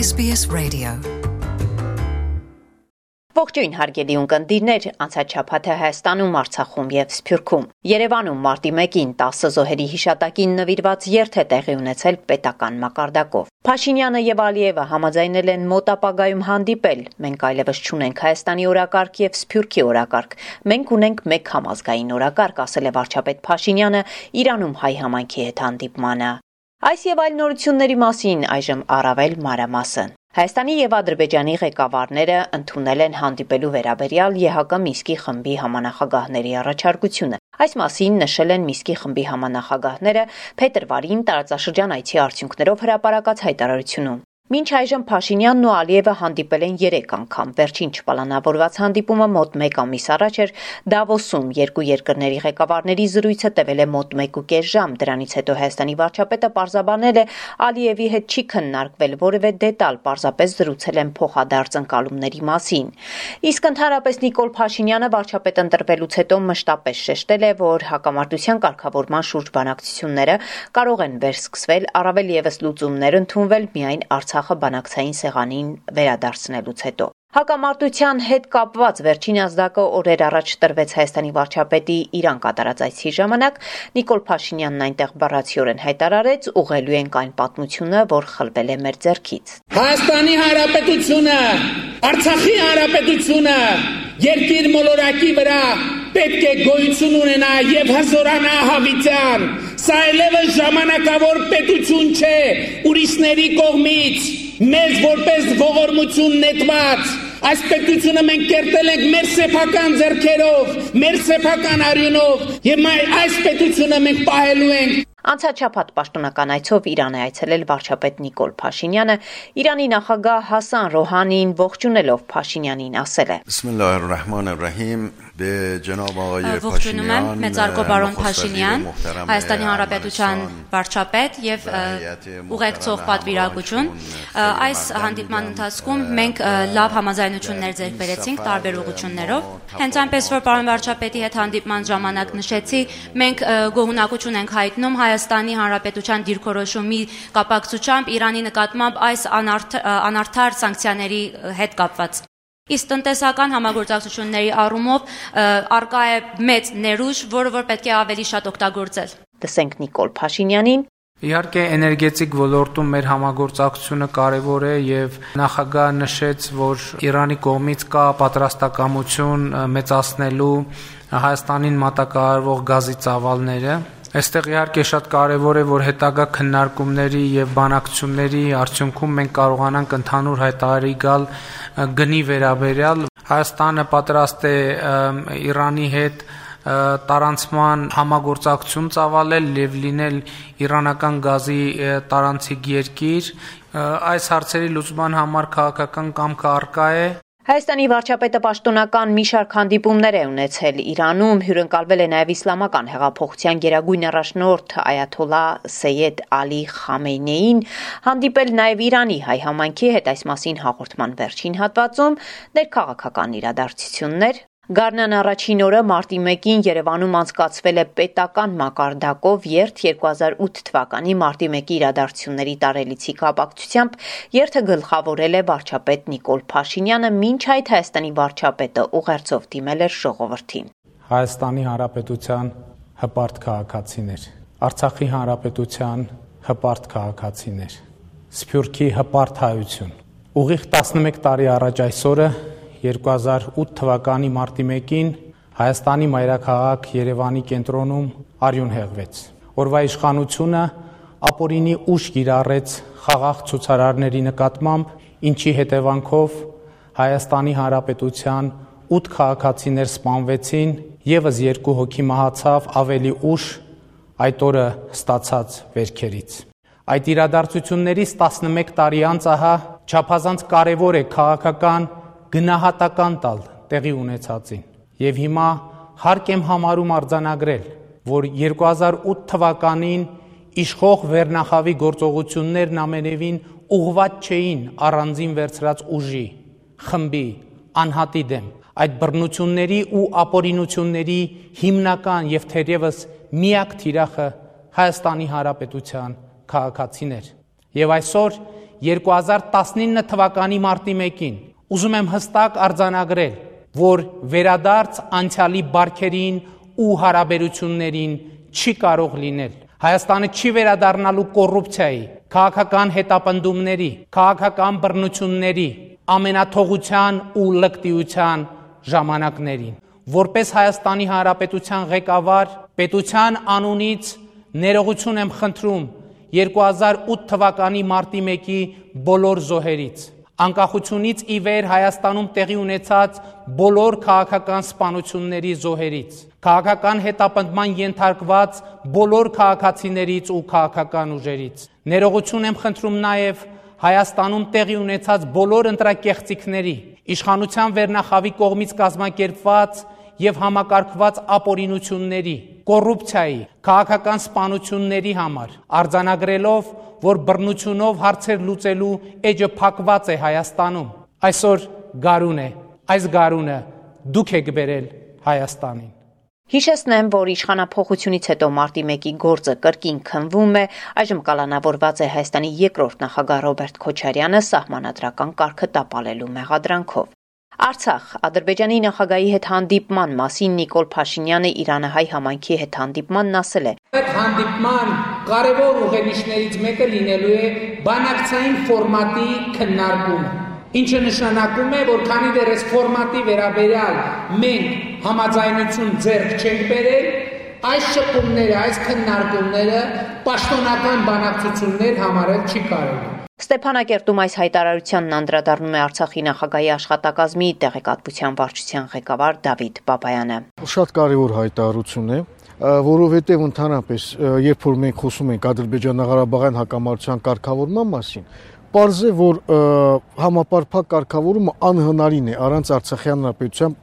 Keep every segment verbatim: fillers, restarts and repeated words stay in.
S B S Radio. Ողջույն հարգելի ունկնդիրներ, անցած շաբաթը Հայաստանում, Արցախում եւ Սփյուռքում, Երևանում մարտի մեկին տասը զոհերի հիշատակին նվիրված երթ է տեղի ունեցել պետական մակարդակով։ Փաշինյանը եւ Ալիևը համաձայնել են մոտ ապագայում հանդիպել։ Մենք այլևս չունենք Հայաստանի օրակարգ եւ Սփյուռքի օրակարգ։ Մենք ունենք մեկ համազգային օրակարգ, ասել է վարչապետ Փաշինյանը Իրանում հայ համայնքի հետ հանդիպմանը։ Այս եւ այլ նորությունների մասին այժմ առավել մանրամասն։ Հայաստանի եւ Ադրբեջանի ղեկավարները ընդունել են հանդիպելու վերաբերյալ Է Հ Կ Մինսկի խմբի համանախագահների առաջարկությունը։ Այս մասին նշել են Մինսկի խմբի համանախագահները փետրվարին տարածաշրջան այցի արդյունքներով հրապարակած հայտարարությունում։ Մինչ այժմ Փաշինյանն ու Ալիևը հանդիպել են երեք անգամ։ Վերջին չպլանավորված հանդիպումը մոտ մեկ ամիս առաջ էր Դավոսում։ Երկու երկրների ղեկավարների զրույցը տևել է մոտ մեկ ու կես ժամ։ Դրանից հետո Հայաստանի վարչապետը պարզաբանել է Ալիևի հետ չի քննարկվել որևէ դետալ, պարզապես զրուցել են փոխադարձ ընկալումների մասին։ Իսկ ընդհանրապես Նիկոլ Փաշինյանը վարչապետ ընտրվելուց հետո մշտապես շեշտել է, որ հակամարտության կարգավորման շուրջ բանակցությունները կարող են վերսկսվել, առավել ևս լուծումներ ընդունվել միայն Արցախը բանակցային սեղանին վերադարձնելուց հետո։ Հակամարտության հետ կապված վերջին ազդակը օրեր առաջ տրվեց Հայաստանի վարչապետի Իրան կատարած այցի ժամանակ։ Նիկոլ Փաշինյանն այնտեղ բառացիորեն հայտարարեց, ուղղելու ենք այն պատմությունը, որ խլվել է մեր ձեռքից։ Հայաստանի Հանրապետությունը, Արցախի Հանրապետությունը երկիր մոլորակի վրա պետք է գոյություն ունենա եւ հզորանա հավիտյան։ Սա այլևս ժամանակավոր պետություն չէ, ուրիշների կողմից մեզ որպես ողորմություն նետված։ Այս պետությունը մենք կերտել ենք մեր սեփական ձեռքերով, մեր սեփական արյունով եւ այս պետությունը մենք պահելու ենք։ Անցած շաբաթ պաշտոնական այցով Իրան է այցելել վարչապետ Նիկոլ Փաշինյանը, Իրանի նախագահ Հասան Ռոհանին ողջունելով Փաշինյանին ասել է. Բիսմիլլահիռռահմանիռռահիմ Ջանաբ աղայե Ողջունում եմ մեծարգո բարոն Փաշինյան, Հայաստանի Հանրապետության վարչապետ եւ ուղեկցող պատվիրակություն։ Այս հանդիպման ընթացքում մենք լավ համաձայնություններ ձեռք բերեցինք տարբեր ուղղություններով։ Հենց այնպես որ պարոն վարչապետի հետ հանդիպման ժամանակ նշեցի, մենք գոհունակություն ենք հայտնում Հայաստանի Հանրապետության դիրքորոշումի կապակցությամբ Իրանի նկատմամբ այս անարդար սանկցիաների հետ կապված։ Իսկ տնտեսական համագործակցությունների առումով արկա է մեծ ներուժ, որը որ պետք է ավելի շատ օգտագործել։ Տեսենք Նիկոլ Փաշինյանին. Իհարկե էներգետիկ ոլորտում մեր համագործակցությունը կարևոր է եւ նախագահը նշեց, որ Իրանի կողմից կա պատրաստակամություն մեծացնելու Հայաստանին մատակարարվող գազի ծավալները։ Այստեղ իհարկե շատ կարևոր է, որ հետագա քննարկումների եւ բանակցությունների արդյունքում մենք կարողանանք ընդհանուր հայտարարի գալ գնի վերաբերյալ։ Հայաստանը պատրաստ է Իրանի հետ տարանցման համագործակցություն ծավալել եւ լինել իրանական գազի տարանցիկ երկիր։ Այս հարցերի լուծման համար քաղաքական կամքը առկա է։ Հայաստանի վարչապետը պաշտոնական մի շարք հանդիպումներ է ունեցել Իրանում, հյուրընկալվել է նաև իսլամական հեղափոխության գերագույն առաջնորդ այաթոլլա Սեյեդ Ալի Խամենեին, հանդիպել նաև Իրանի հայ համայնքի հետ այս մասին հաղորդման վերջին հատվածում, ներքաղաքական իրադարձություններ։ Գարնան առաջին օրը մարտի մեկին Երևանում անցկացվել է պետական մակարդակով երթ երկու հազար ութ թվականի մարտի մեկի իրադարձությունների տարելիցի կապակցությամբ երթը գլխավորել է վարչապետ Նիկոլ Փաշինյանը, մինչ այդ Հայաստանի վարչապետը ուղերձով դիմել էր ժողովրդին։ Հայաստանի Հանրապետության հպարտ քաղաքացիներ, Արցախի Հանրապետության հպարտ քաղաքացիներ, Սփյուռքի հպարտ հայություն։ Ուղիղ տասնմեկ տարի առաջ այսօրը երկու հազար ութ թվականի մարտի մեկին Հայաստանի մայրաքաղաք Երևանի կենտրոնում արյուն հեղվեց։ Օրվա իշխանությունը ապօրինի ուժ կիրառեց խաղաղ ցուցարարների նկատմամբ, ինչի հետևանքով Հայաստանի Հանրապետության ութ քաղաքացիներ սպանվեցին, եւս երկու հոգի մահացավ ավելի ուշ այդ օրը ստացած վերքերից։ Այդ իրադարձություններից տասնմեկ տարի անց ահա չափազանց կարևոր է քաղաքական գնահատական տալ տեղի ունեցածին եւ հիմա հարկ եմ համարում արձանագրել, որ երկու հազար ութ թվականին իշխող վերնախավի գործողություններն ամենևին ուղղված չէին առանձին վերցրած ուժի, խմբի, անհատի դեմ։ Այդ բռնությունների ու ապօրինությունների հիմնական եւ թերևս միակ թիրախը Հայաստանի Հանրապետության քաղաքացիներ։ Եվ այսօր երկու հազար տասնինը թվականի մարտի մեկին ուզում եմ հստակ արձանագրել, որ վերադարձ անցյալի բարքերին ու հարաբերություններին չի կարող լինել։ Հայաստանը չի վերադառնալու կոռուպցիայի, քաղաքական հետապնդումների, քաղաքական բռնությունների, ամենաթողության ու լկտիության ժամանակներին։ Որպես Հայաստանի Հանրապետության ղեկավար, պետության անունից ներողություն եմ խնդրում երկու հազար ութ թվականի մարտի մեկի բոլոր զոհերից, անկախությունից ի վեր Հայաստանում տեղի ունեցած բոլոր քաղաքական սպանությունների զոհերից, քաղաքական հետապնդման ենթարկված բոլոր քաղաքացիներից ու քաղաքական ուժերից։ Ներողություն եմ խնդրում նաև Հայաստանում տեղի ունեցած բոլոր ընտրակեղծիքների, իշխանության վերնախավի կողմից կազմակերպված եւ համակարգված ապօրինությունների, կոռուպցիայի, քաղաքական սպանությունների համար, արձանագրելով, որ բռնությունով հարցեր լուծելու էջը փակված է Հայաստանում։ Այսօր գարուն է, այս գարունը դուք եք բերել Հայաստանին։ Հիշեցնեմ, որ իշխանափոխությունից հետո մարտի մեկի գործը կրկին քննվում է, այժմ կալանավորված է Հայաստանի երկրորդ նախագահ Ռոբերտ Քոչարյանը սահմանադրական կարգը տապալելու մեղադրանքով։ Արցախ Ադրբեջանի նախագահի հետ հանդիպման մասին Նիկոլ Փաշինյանը Իրանահայ համայնքի հետ հանդիպմանն ասել է. Այդ հանդիպման կարևոր ուղենիշներից մեկը լինելու է բանակցային ֆորմատի քննարկումը, ինչը նշանակում է, որ քանի դեռ այս ֆորմատի վերաբերյալ մենք համաձայնություն ձեռք չենք բերել, այս շփումները, այս քննարկումները պաշտոնական բանակցություններ համարել չի կարելի։ Ստեփանակերտում այս հայտարարությանն անդրադառնում է Արցախի նախագահի աշխատակազմի տեղեկատվության վարչության ղեկավար Դավիթ Բաբայանը։ Շատ կարևոր հայտարարություն է, որովհետև ընդհանրապես երբ որ մենք խոսում ենք Ադրբեջան-Ղարաբաղյան հակամարտության կարգավորման մասին, պարզ է, որ համապարփակ կարգավորումը անհնարին է առանց Արցախի հանրապետության,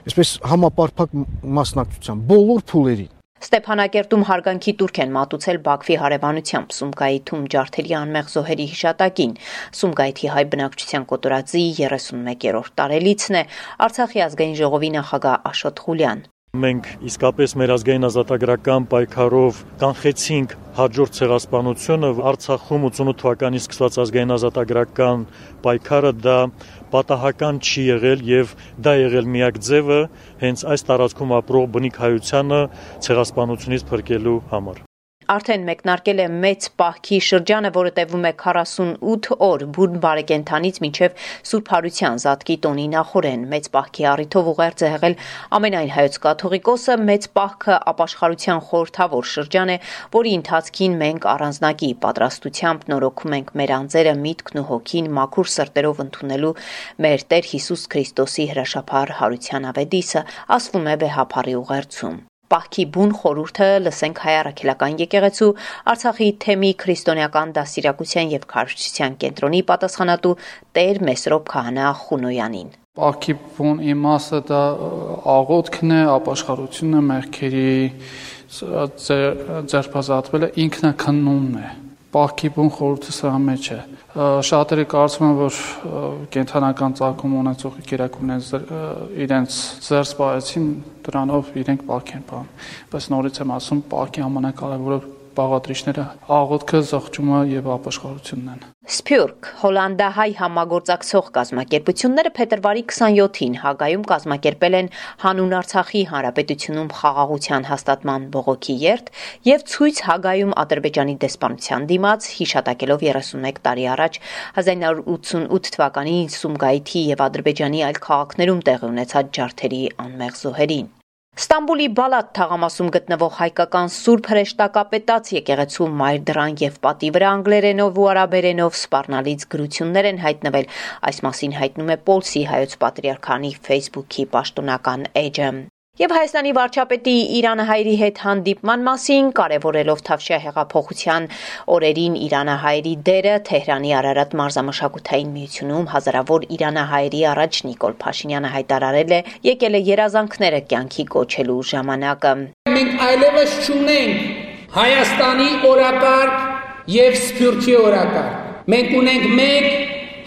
այսպես համապարփակ մասնակցության բոլոր փուլերին։ Ստեփանակերտում հարգանքի տուրք են մատուցել Բաքվի հարևանությամբ Սումգայիթում ջարդերի անմեղ զոհերի հիշատակին։ Սումգայիթի հայ բնակչության կոտորածի երեսունմեկերորդ տարելիցն է Արցախի ազգային ժողովի նախագահ Աշոտ Ղուլյան։ Մենք իսկապես մեր ազգային ազատագրական պայքարով կանխեցինք հաջորդ ցեղասպանությունը Արցախում ութանոթ թվականից սկսված ազգային ազատագրական պայքարը դա պատահական չի եղել եւ դա եղել միակ ձևը հենց այս տարածքում ապրող բնիկ հայությանը ցեղասպանությունից փրկելու համար։ Արդեն մեկնարկել է մեծ պահքի շրջանը, որը տևում է քառասունութ օր բուն բարեկենդանից մինչև Սուրբ Հարության Զատկի տոնի նախորեն։ Մեծ պահքի առիթով ուղերձ է եղել ամենայն հայոց կաթողիկոսը։ Մեծ պահքը ապաշխարության խորհրդավոր շրջան է, որի ընթացքին մենք առանձնակի պատրաստությամբ նորոգում ենք մեր անձերը, միտքն ու հոգին մաքուր սրտերով ընդունելու մեր Տեր Հիսուս Քրիստոսի հրաշափառ հարության ավետիսը, ասվում է վեհափառի ուղերձում։ Պահքի բուն խորհուրդը լսենք Հայ առաքելական եկեղեցու Արցախի թեմի քրիստոնեական դաստիարակության եւ քարոզչության կենտրոնի պատասխանատու Տեր Մեսրոպ Քահանա Խունոյանին։ Պահքի բուն իմաստը դա աղոթքն է, ապաշխարությունը, մեղքերի ձերբազատվելը, ինքնաքննումն է։ Պահքի բուն խորհուրդը սրա մեջ է։ Շատերը կարծում են, որ կենթանական ծագում ունեցող գերակումներ իրենց ձեռք սպայեցին, դրանով իրենք պահք են պահում։ Բայց նորից եմ ասում, պահքի ամենակարևորը բաղադրիչները աղոթքը, զղջումը եւ ապաշխարությունն են։ Սփյուռք հոլանդահայ համագործակցող կազմակերպությունները փետրվարի քսանյոթին Հագայում կազմակերպել են հանուն Արցախի հանրապետությունում խաղաղության հաստատման բողոքի երթ եւ ցույց Հագայում Ադրբեջանի դեսպանության դիմաց, հիշատակելով երեսունմեկ տարի առաջ հազար նույնսուն ութսունութ թվականի Սումգայիթի եւ Ադրբեջանի այլ քաղաքներում տեղի ունեցած ջարդերի անմեղ զոհերին։ Ստամբուլի Բալատ թաղամասում գտնվող հայկական Սուրբ Հրեշտակապետաց եկեղեցու մայր դռան եւ պատի վրա անգլերենով ու արաբերենով սպառնալից գրություններ են հայտնվել։ Այս մասին հայտնում է Պոլսի հայոց պատրիարքանի Facebook-ի պաշտոնական էջը։ Եվ Հայաստանի վարչապետի իրանահայերի հետ հանդիպման մասին, կարևորելով Թավշյա հեղափոխության օրերին իրանահայերի դերը, Թեհրանի Արարատ մարզամշակութային միությունում հազարավոր իրանահայերի առաջ Նիկոլ Փաշինյանը հայտարարել է, եկել է երազանքները կյանքի կոչելու ժամանակը։ Մենք այլևս չունենք Հայաստանի օրակարգ եւ Սփյուռքի օրակարգ։ Մենք ունենք մեկ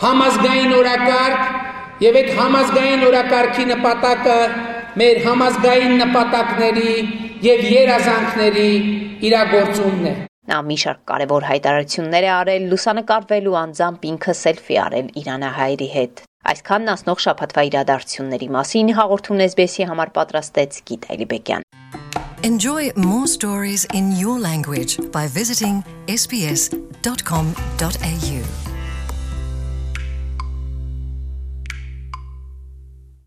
համազգային օրակարգ եւ այդ համազգային օրակարգի նպատակը մեր համազգային նպատակների եւ երազանքների իրագործումն է։ Նա մի շարք կարևոր հայտարարություններ է արել, լուսանկարվել ու անձամբ ինքը սելֆի արել իրանահայերի հետ։ Այսքանն ասնող շաբաթվա իրադարձությունների մասին հաղորդումն էս բի էսի համար պատրաստեց Գիտ Այլիբեկյան։ Enjoy more stories in your language by visiting s b s dot com dot a u